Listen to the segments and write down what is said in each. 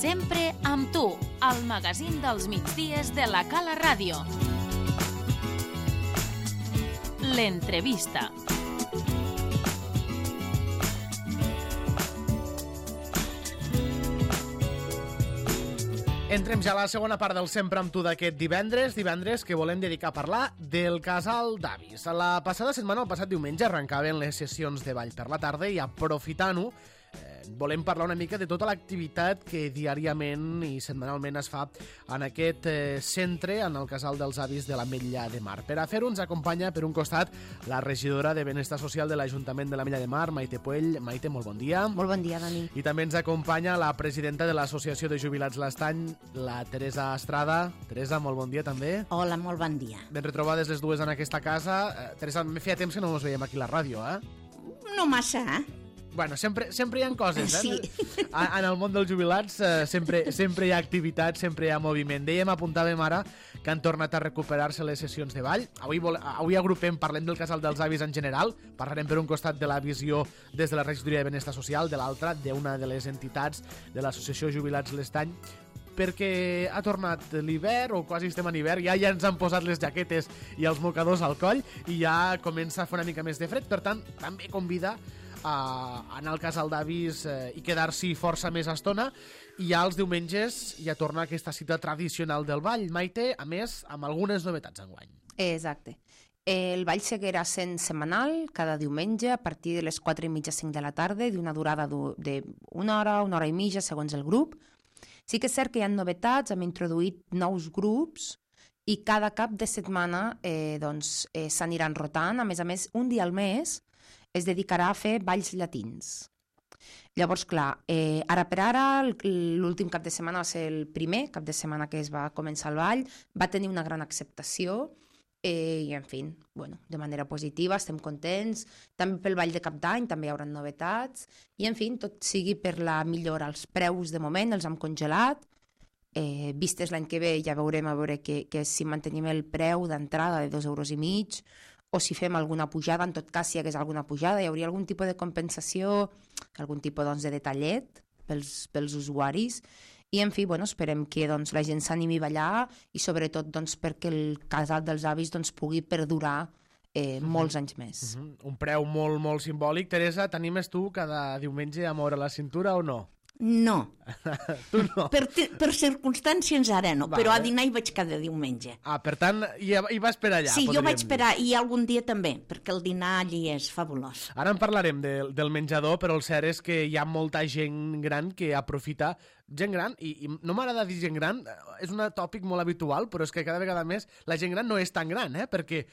Sempre amb tu, al magazín dels migdies de la Cala Ràdio. L'entrevista. Entrem ja a la segona part del Sempre amb tu d'aquest divendres que volem dedicar a parlar del Casal d'Avis. La passada setmana, el passat diumenge, arrencaven les sessions de ball per la tarda i aprofitant-ho, volem parlar una mica de tota l'activitat que diàriament i setmanalment es fa en aquest centre, en el Casal dels Avis de l'Ametlla de Mar. Per a fer-ho ens acompanya, per un costat, la regidora de Benestar Social de l'Ajuntament de l'Ametlla de Mar, Maite Puell. Maite, molt bon dia. Molt bon dia, Dani. I també ens acompanya la presidenta de l'Associació de Jubilats l'Estany, la Teresa Estrada. Teresa, molt bon dia també. Hola, molt bon dia. Ben retrobades les dues en aquesta casa. Teresa, me feia temps que no ens veiem aquí a la ràdio, No massa, Bueno, sempre hi ha coses, Sí. En el món dels jubilats sempre hi ha activitat, sempre hi ha moviment. Dèiem, apuntàvem ara que han tornat a recuperar-se les sessions de ball. Avui agrupem, parlem del Casal dels Avis en general, parlarem per un costat de la visió des de la Regidoria de Benestar Social, de l'altra d'una de les entitats de l'Associació Jubilats l'Estany, perquè ha tornat l'hivern, o quasi estem en hivern, ja ens han posat les jaquetes i els mocadors al coll, i ja comença a fer una mica més de fred, per tant, també convida a anar al Casal d'Avis i quedar-s'hi força més estona, i ja els diumenges ja torna aquesta cita tradicional del ball. Maite, a més, amb algunes novetats enguany. Exacte. El ball seguirà sent setmanal, cada diumenge, a partir de les 4:30, 5 de la tarda, d'una durada d'una hora, una hora i mitja, segons el grup. Sí que és cert que hi ha novetats, hem introduït nous grups, i cada cap de setmana s'aniran rotant. A més, un dia al mes es dedicarà a fer balls llatins. Llavors, clar, ara per ara, l'últim cap de setmana va ser el primer cap de setmana que es va començar el ball, va tenir una gran acceptació, i, en fi, de manera positiva, estem contents. També pel ball de cap d'any també hi haurà novetats, i, en fi, tot sigui per la millora. Els preus, de moment, els hem congelat. Vistes l'any que ve, ja veurem a veure que si mantenim el preu d'entrada de 2,5 €, o si fem alguna pujada. En tot cas, si hi hagués alguna pujada, hi hauria algun tipus de compensació, algun tipus de detallet pels usuaris. I, en fi, esperem que la gent s'animi a ballar, i sobretot perquè el Casal dels Avis pugui perdurar molts anys més. Un preu molt, molt simbòlic. Teresa, t'animes tu cada diumenge a moure la cintura o no? No. Tu no? Per circumstàncies ara no, Vale. però a dinar hi vaig cada diumenge. Per tant, hi vas per allà, Sí, jo podríem vaig dir. per allà, i algun dia també, perquè el dinar allí és fabulós. Ara en parlarem del menjador, però el cert és que hi ha molta gent gran que aprofita. Gent gran, i no m'agrada dir gent gran, és un tòpic molt habitual, però és que cada vegada més la gent gran no és tan gran, perquè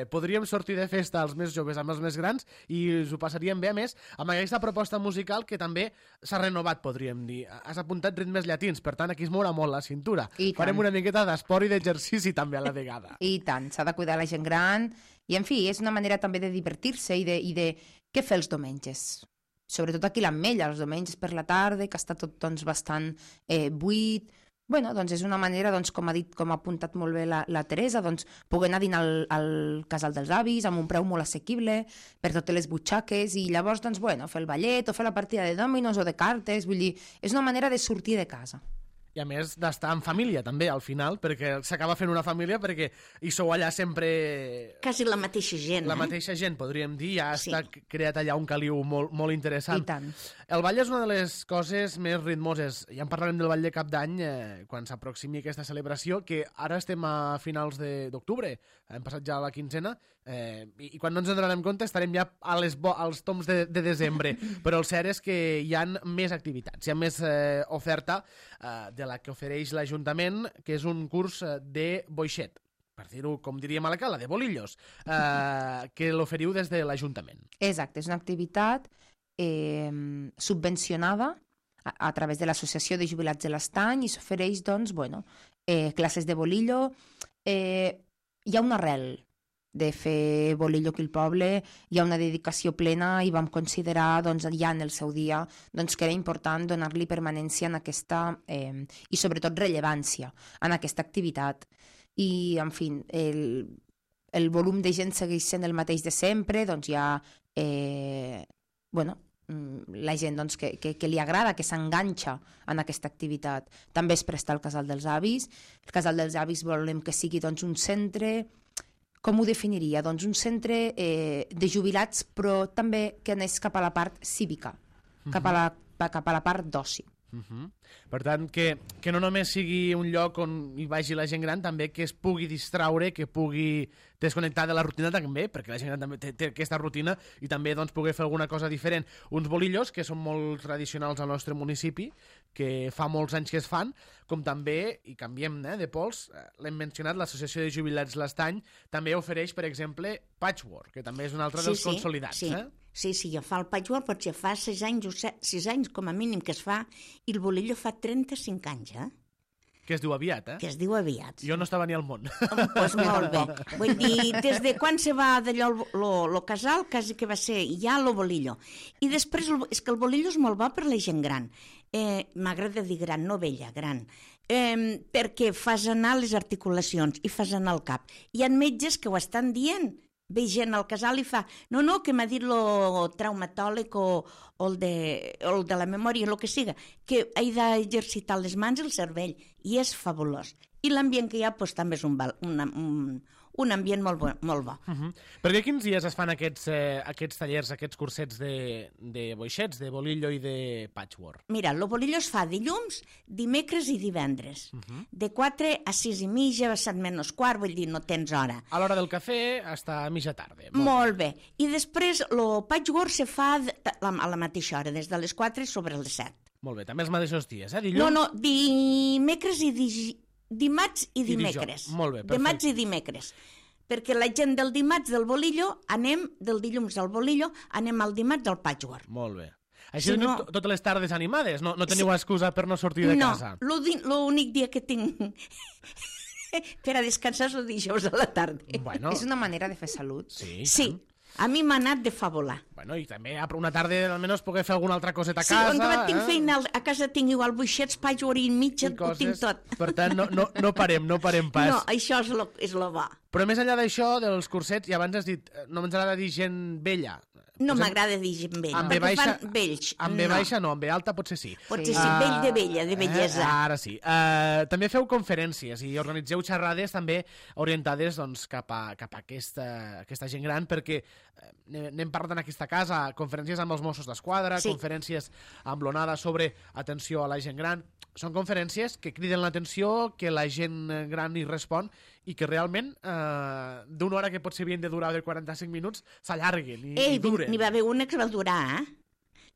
podríem sortir de festa els més joves amb els més grans i us ho passaríem bé, a més, amb aquesta proposta musical que també s'ha renovat, podríem dir. Has apuntat ritmes llatins, per tant, aquí es mourà molt la cintura. I tant. Farem una miqueta d'esport i d'exercici també a la vegada. I tant, s'ha de cuidar la gent gran, i, en fi, és una manera també de divertir-se i de què fer els diumenges. Sobretot aquí a l'Ametlla, els diumenges per la tarda, que està tot bastant buit. És una manera, com ha apuntat molt bé la Teresa, poder anar a dinar al Casal dels Avis amb un preu molt assequible per totes les butxaques, i llavors, fer el ballet o fer la partida de dòminos o de cartes. Vull dir, és una manera de sortir de casa. I a més d'estar en família també al final, perquè s'acaba fent una família, perquè hi sou allà sempre Quasi la mateixa gent, la mateixa gent, podríem dir. Ja Sí. està creat allà un caliu molt, molt interessant. I tant. El ball és una de les coses més ritmoses. Ja en parlarem del ball de cap d'any quan s'aproximi aquesta celebració, que ara estem a finals d'octubre, hem passat ja la quinzena, i quan no ens en donarem compte estarem ja als toms de desembre. Però el cert és que hi ha més activitats, hi ha més oferta de la que ofereix l'Ajuntament, que és un curs de boixet, per dir-ho, com diríem a la Cala, de bolillos, que l'oferiu des de l'Ajuntament. Exacte, és una activitat subvencionada a través de l'Associació de Jubilats de l'Estany, i s'ofereix, classes de bolillo. Hi ha una arrel de fer bolillo aquí al poble, hi ha una dedicació plena, i vam considerar ja en el seu dia que era important donar-li permanència en aquesta, i sobretot rellevància en aquesta activitat. I, en fi, el volum de gent segueix sent el mateix de sempre, hi ha la gent doncs, que li agrada, que s'enganxa en aquesta activitat. També es presta al Casal dels Avis. El Casal dels Avis volem que sigui doncs, un centre, com ho definiria? Doncs un centre de jubilats, però també que anés cap a la part cívica, cap a la part d'oci. Per tant, que no només sigui un lloc on hi vagi la gent gran, també que es pugui distraure, que pugui desconnectar de la rutina també, perquè la gent gran també té aquesta rutina i també doncs, pugui fer alguna cosa diferent. Uns bolillos que són molt tradicionals al nostre municipi, que fa molts anys que es fan, com també, i canviem de pols, l'hem mencionat, l'Associació de Jubilats l'Estany també ofereix, per exemple, patchwork, que també és un altre dels consolidats. Sí, jo fa el patchwork, potser fa 6 anys com a mínim que es fa, i el bolillo fa 35 anys, Que es diu aviat, Que es diu aviat. Jo no estava ni al món. Pues molt bé. Vull dir, des de quan se va d'allò lo casal, quasi que va ser ja lo bolillo. I després, és que el bolillo és molt bo per la gent gran. M'agrada dir gran, no vella, gran. Perquè fas anar les articulacions i fas anar el cap. Hi ha metges que ho estan dient. Ve gent al casal i fa, no, que m'ha dit lo traumatòleg o el de la memòria, el que siga, que he d'exercitar les mans i el cervell, i és fabulós. I l'ambient que hi ha doncs, també és un ambient molt bo. Perquè quins dies es fan aquests tallers, aquests cursets de boixets, de bolillo i de patchwork? Mira, el bolillo es fa dilluns, dimecres i divendres. De 4 a 6 i mitja, a 7 menys quart, vull dir, no tens hora. A l'hora del cafè hasta a mitja tarda. Molt bé. I després el patchwork se fa a la mateixa hora, des de les 4 sobre les 7. Molt bé, també els mateixos dies, dilluns? No, dimecres i dimarts i dimecres. Molt bé, perfecte. Dimarts i dimecres. Perquè la gent del dimarts del bolillo, del dilluns al bolillo, anem al dimarts al patchwork. Molt bé. Així teniu totes les tardes animades? No teniu excusa per no sortir de casa? No, l'únic dia que tinc per a descansar és el dijous a la tarda. Bueno. És una manera de fer salut. Sí. A mi m'ha anat de fabular. Bueno, i també una tarda almenys poder fer alguna altra coseta a casa. Sí, on tinc feina, a casa tinc igual buixets, patchwork i mitja, ho tinc tot. Per tant, no parem pas. No, això és lo bo. Però més enllà d'això, dels cursets, i abans has dit, no ens agrada dir gent vella. No m'agrada dir gent vella, perquè fan vells. Amb B baixa no, amb B alta potser sí. Potser sí, vell de vella, de bellesa. Ara sí. També feu conferències i organitzeu xerrades també orientades doncs, cap a aquesta gent gran, perquè n'hem parlat en aquesta casa, conferències amb els Mossos d'Esquadra, conferències amb l'ONADA sobre atenció a la gent gran. Són conferències que criden l'atenció, que la gent gran hi respon i que realment d'una hora que potser havien de durar de 45 minuts s'allarguen i duren. N'hi va haver una que va durar,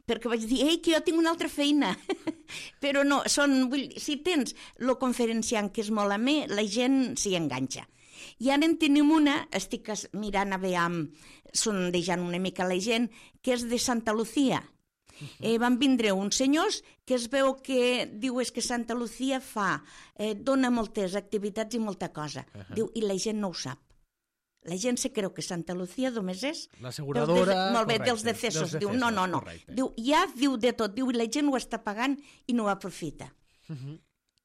perquè vaig dir, que jo tinc una altra feina. Però no, si tens el conferenciant que és molt amè, la gent s'hi enganxa. I ara en tenim una, estic mirant a veure, sondejant una mica la gent, que és de Santa Lucía. Van vindre uns senyors que es veu que diu és que Santa Lucía dona moltes activitats i molta cosa. Diu, i la gent no ho sap. La gent se creu que Santa Lucía només és l'asseguradora, molt bé, dels decessos. Diu, no. Diu, diu de tot. Diu, i la gent ho està pagant i no ho aprofita.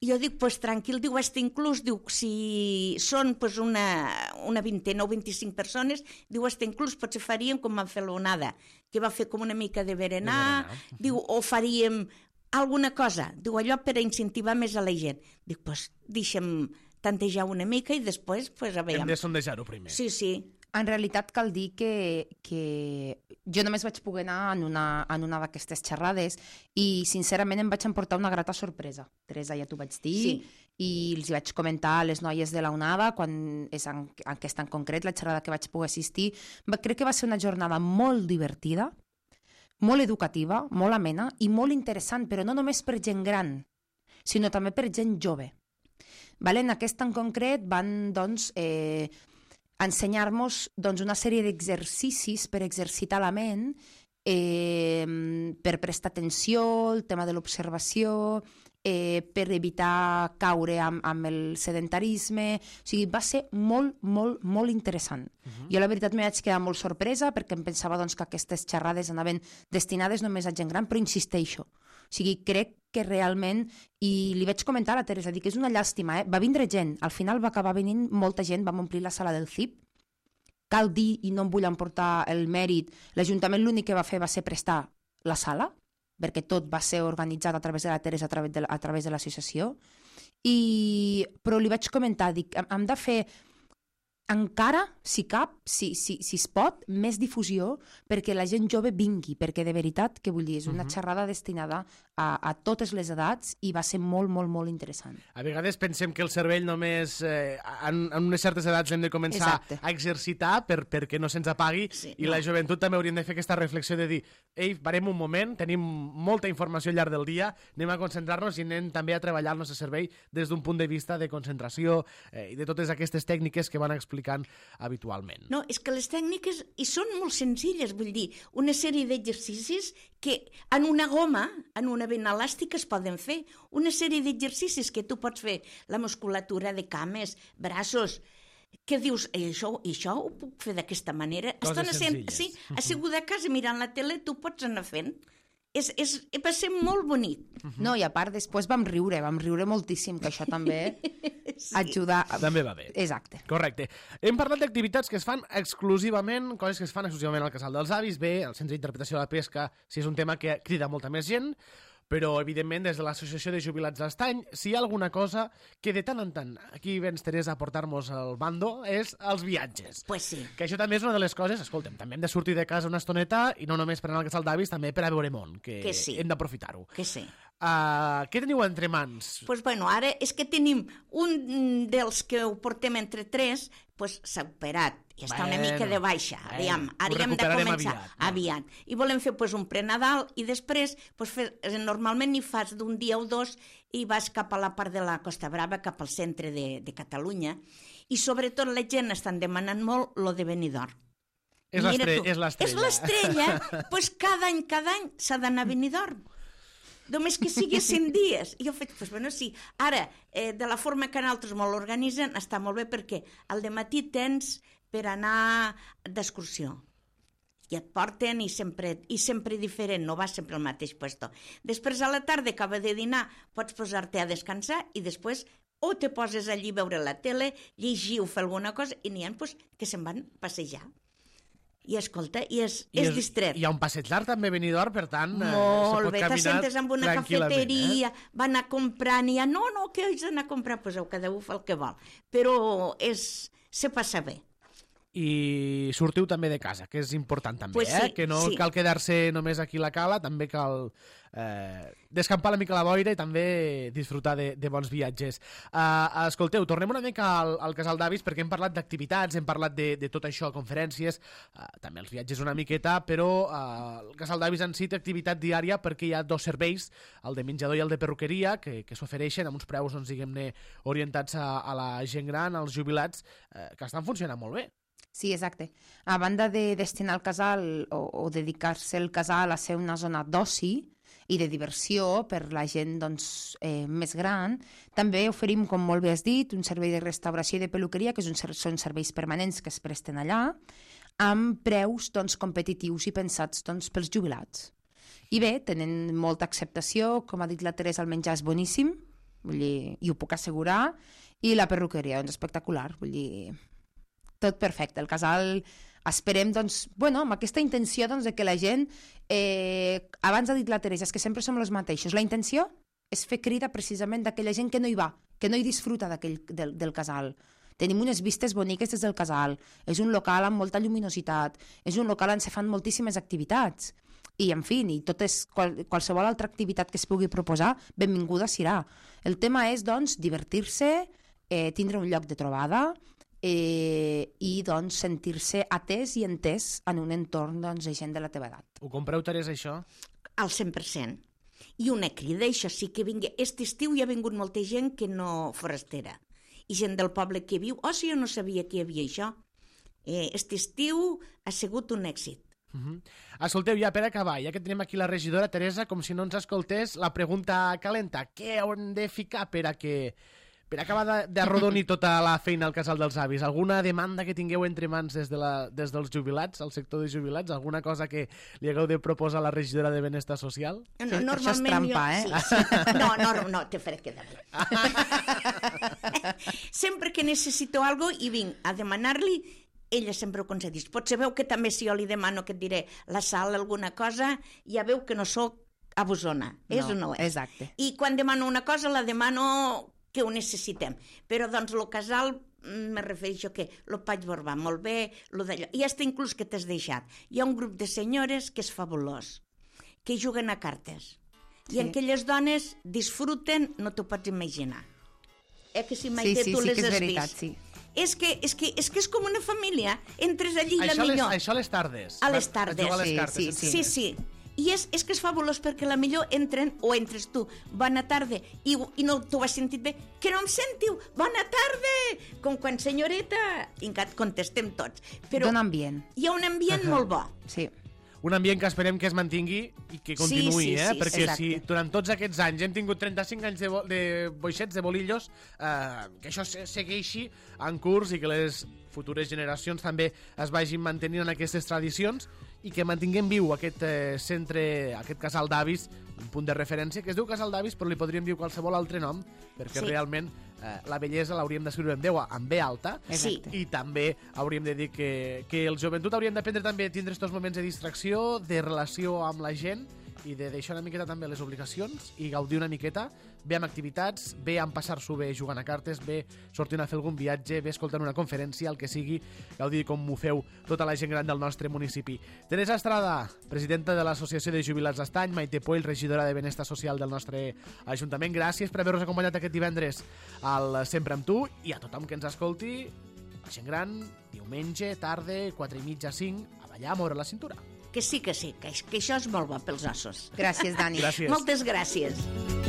I jo dic, pues tranquil, diu, inclús, diu, si són pues, una vintena o 25 persones, diu, inclús potser faríem com van fer l'onada, que va fer com una mica de berenar, diu, o faríem alguna cosa, diu, allò per a incentivar més a la gent. Dic, pues deixem tantejar una mica i després, pues, a veure. Hem de sondejar-ho primer. Sí. En realitat cal dir que jo només vaig poder anar en una d'aquestes xerrades i sincerament em vaig emportar una grata sorpresa. Teresa, ja t'ho vaig dir, i els vaig comentar a les noies de la UNADA, quan és en aquesta en concret, la xerrada que vaig poder assistir. Crec que va ser una jornada molt divertida, molt educativa, molt amena i molt interessant, però no només per gent gran, sinó també per gent jove. En aquesta en concret van, doncs, ensenyar-nos una sèrie d'exercicis per exercitar la ment, per prestar atenció, el tema de l'observació, per evitar caure amb el sedentarisme. O sigui, va ser molt, molt, molt interessant. Jo la veritat m'hi vaig quedar molt sorpresa perquè em pensava que aquestes xerrades anaven destinades només a gent gran, però insisteixo. O sigui, crec que realment, i li vaig comentar a la Teresa, dic que és una llàstima, va vindre gent, al final va acabar venint molta gent, vam omplir la sala del CIP. Cal dir, i no em vull emportar el mèrit, l'Ajuntament l'únic que va fer va ser prestar la sala, perquè tot va ser organitzat a través de la Teresa, a través de l'associació, però li vaig comentar, dic, hem de fer encara, si cap, si es pot, més difusió perquè la gent jove vingui, perquè de veritat, que vull dir, és una xerrada destinada a totes les edats i va ser molt, molt, molt interessant. A vegades pensem que el cervell només en unes certes edats hem de començar a exercitar perquè no se'ns apagui i la joventut també hauríem de fer aquesta reflexió de dir, ei, parem un moment, tenim molta informació al llarg del dia, anem a concentrar-nos i anem també a treballar el nostre cervell des d'un punt de vista de concentració i de totes aquestes tècniques que van explicant habitualment. No, és que les tècniques hi són molt senzilles, vull dir, una sèrie d'exercicis que en una goma, en una vena elàstica es poden fer, una sèrie d'exercicis que tu pots fer, la musculatura de cames, braços, que dius, això ho puc fer d'aquesta manera? Coses senzilles. Sí, asseguda a casa mirant la tele, tu pots anar fent. Va ser molt bonic. No, i a part després vam riure moltíssim, que això també ajuda... També va bé. Exacte. Correcte. Hem parlat d'activitats que es fan exclusivament, coses que es fan exclusivament al Casal dels Avis. Bé, el Centre d'Interpretació de la Pesca, si és un tema que crida molta més gent, però, evidentment, des de l'Associació de Jubilats d'Estany, si hi ha alguna cosa que de tant en tant, aquí vens, Teresa, a portar-nos al bando, és els viatges. Pues sí. Que això també és una de les coses, escolta'm, també hem de sortir de casa una estoneta, i no només per anar al Casal d'Avis, també per a veure món, que sí. Hem d'aprofitar-ho. Que sí. Què teniu entre mans? Pues bueno, ara és que tenim un dels que ho portem entre tres, pues s'ha operat i està una mica de baixa. Aviam, ara hem de començar aviat. I volem fer pues, un prenadal i després pues, normalment hi fas d'un dia o dos i vas cap a la part de la Costa Brava, cap al centre de Catalunya. I sobretot la gent estan demanant molt lo de Benidorm. És l'estrella. És l'estrella. Pues cada any s'ha d'anar a Benidorm. Només que sigui 100 dies. I jo faig, pues, bueno, sí. Ara, de la forma que nosaltres molt organitzen, està molt bé perquè al dematí tens per anar d'excursió. I et porten i sempre diferent, no va sempre al mateix puesto. Després a la tarda, acaba de dinar, pots posar-te a descansar i després o te poses allí a veure la tele, llegir o fer alguna cosa i n'hi ha pues, que se'n van passejar. I escolta, és distret. Hi ha un passeig llarg també a Benidorm, per tant, molt se pot bé, caminar t'assentes amb una cafeteria, van a comprar, n'hi ha, no, que haig d'anar a comprar, pues cada un fa el que vol. Però se passa bé. I sortiu també de casa, que és important també, pues sí, que no cal quedar-se només aquí a la cala, també cal descampar una mica la boira i també disfrutar de bons viatges. Escolteu, tornem una mica al Casal d'Avis perquè hem parlat d'activitats, hem parlat de tot això, conferències, també els viatges una miqueta, però el Casal d'Avis en si té activitat diària perquè hi ha dos serveis, el de menjador i el de perruqueria, que s'ofereixen amb uns preus, doncs, diguem-ne, orientats a la gent gran, als jubilats, que estan funcionant molt bé. Sí, exacte. A banda de destinar el casal o dedicar-se el casal a ser una zona d'oci i de diversió per la gent doncs, més gran, també oferim, com molt bé has dit, un servei de restauració i de peluqueria, que són serveis permanents que es presten allà, amb preus doncs, competitius i pensats doncs, pels jubilats. I bé, tenen molta acceptació, com ha dit la Teresa, el menjar és boníssim, vull dir, i ho puc assegurar, i la perruqueria, doncs, espectacular, vull dir... Tot perfecte. El casal esperem, doncs, bueno, amb aquesta intenció doncs, de que la gent, abans ha dit la Teresa, és que sempre som els mateixos. La intenció és fer crida precisament d'aquella gent que no hi va, que no hi disfruta del casal. Tenim unes vistes boniques des del casal, és un local amb molta lluminositat, és un local on se fan moltíssimes activitats. I, en fi, qualsevol altra activitat que es pugui proposar, benvinguda serà. El tema és, doncs, divertir-se, tindre un lloc de trobada, i doncs sentir-se atès i entès en un entorn doncs, de gent de la teva edat. Ho compreu, Teresa, això? Al 100%. I una crida, això sí que vingui. Aquest estiu hi ha vingut molta gent que no forastera. I gent del poble que viu, sí, jo no sabia que hi havia això. Aquest estiu ha sigut un èxit. Escolteu, ja per acabar, ja que tenim aquí la regidora Teresa, com si no ens escoltés, la pregunta calenta. Què hem de ficar per acabar d'arrodonir tota la feina al Casal dels Avis? Alguna demanda que tingueu entre mans des dels jubilats, al sector de jubilats? Alguna cosa que li hagueu de proposar a la regidora de Benestar Social? No, això és trampa, Sí. No, te faré quedar bé. Sempre que necessito algo i vinc a demanar-li ella sempre ho concedeix. Potser veu que també si jo li demano que et diré la Sal alguna cosa, ja veu que no sóc abusona, és o no és? Exacte. I quan demano una cosa la demano que ho necessitem. Però doncs el casal me refereixo que el vaig veure molt bé, lo d'allò. I hasta inclús que t'has deixat. Hi ha un grup de senyores que és fabulós, que juguen a cartes. I aquelles dones disfruten, no t'ho pots imaginar. Que si mai tu les has veritat, vist. sí. És que és com una família. Entres allí i la millor. Això a les tardes. A les tardes. A les cartes. Sí. I és que és fabulós perquè la millor entren, o entres tu, bona tarda, i no t'ho has sentit bé, que no em sentiu, bona tarda, com quan senyoreta, i contestem tots. Però Dona ambient. hi ha un ambient molt bo. Sí. Un ambient que esperem que es mantingui i que continuï, Sí, perquè exacte. si durant tots aquests anys hem tingut 35 anys de boixets, de bolillos, que això segueixi en curs i que les futures generacions també es vagin mantenint en aquestes tradicions i que mantinguem viu aquest centre, aquest casal d'avis, un punt de referència, que es diu casal d'avis, però li podríem dir qualsevol altre nom, perquè realment la bellesa l'hauríem d'escriure amb B alta, Sí. i també hauríem de dir que el joventut hauríem d'aprendre també a tindre aquests moments de distracció, de relació amb la gent i de deixar una miqueta també les obligacions i gaudir una miqueta, bé amb activitats, bé amb passar-s'ho bé jugant a cartes, bé sortint a fer algun viatge, bé escoltant una conferència, el que sigui, gaudir com ho feu tota la gent gran del nostre municipi. Teresa Estrada, presidenta de l'Associació de Jubilats d'Estany, Maite Poll, regidora de Benestar Social del nostre Ajuntament, gràcies per haver-nos acompanyat aquest divendres al Sempre amb tu, i a tothom que ens escolti, la gent gran, diumenge, tarda, 4:30, 5, a ballar, a moure la cintura. Que sí, que això és molt bo pels ossos. Gràcies, Dani. Gràcies. Moltes gràcies.